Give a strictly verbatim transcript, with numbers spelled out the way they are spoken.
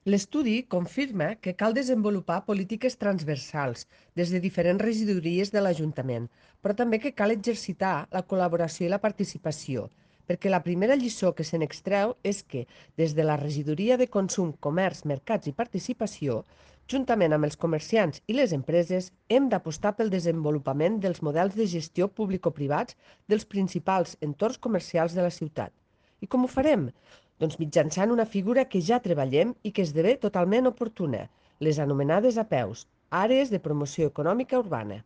L'estudi confirma que cal desenvolupar polítiques transversals des de diferents regidories de l'Ajuntament, però també que cal exercitar la col·laboració i la participació, perquè la primera lliçó que se n'extreu és que, des de la Regidoria de Consum, Comerç, Mercats i Participació, juntament amb els comerciants i les empreses, hem d'apostar pel desenvolupament dels models de gestió público-privats dels principals entorns comercials de la ciutat. I com ho farem? Doncs mitjançant una figura que ja treballem i que esdevé totalment oportuna, les anomenades A P E Us, Àrees de Promoció Econòmica Urbana.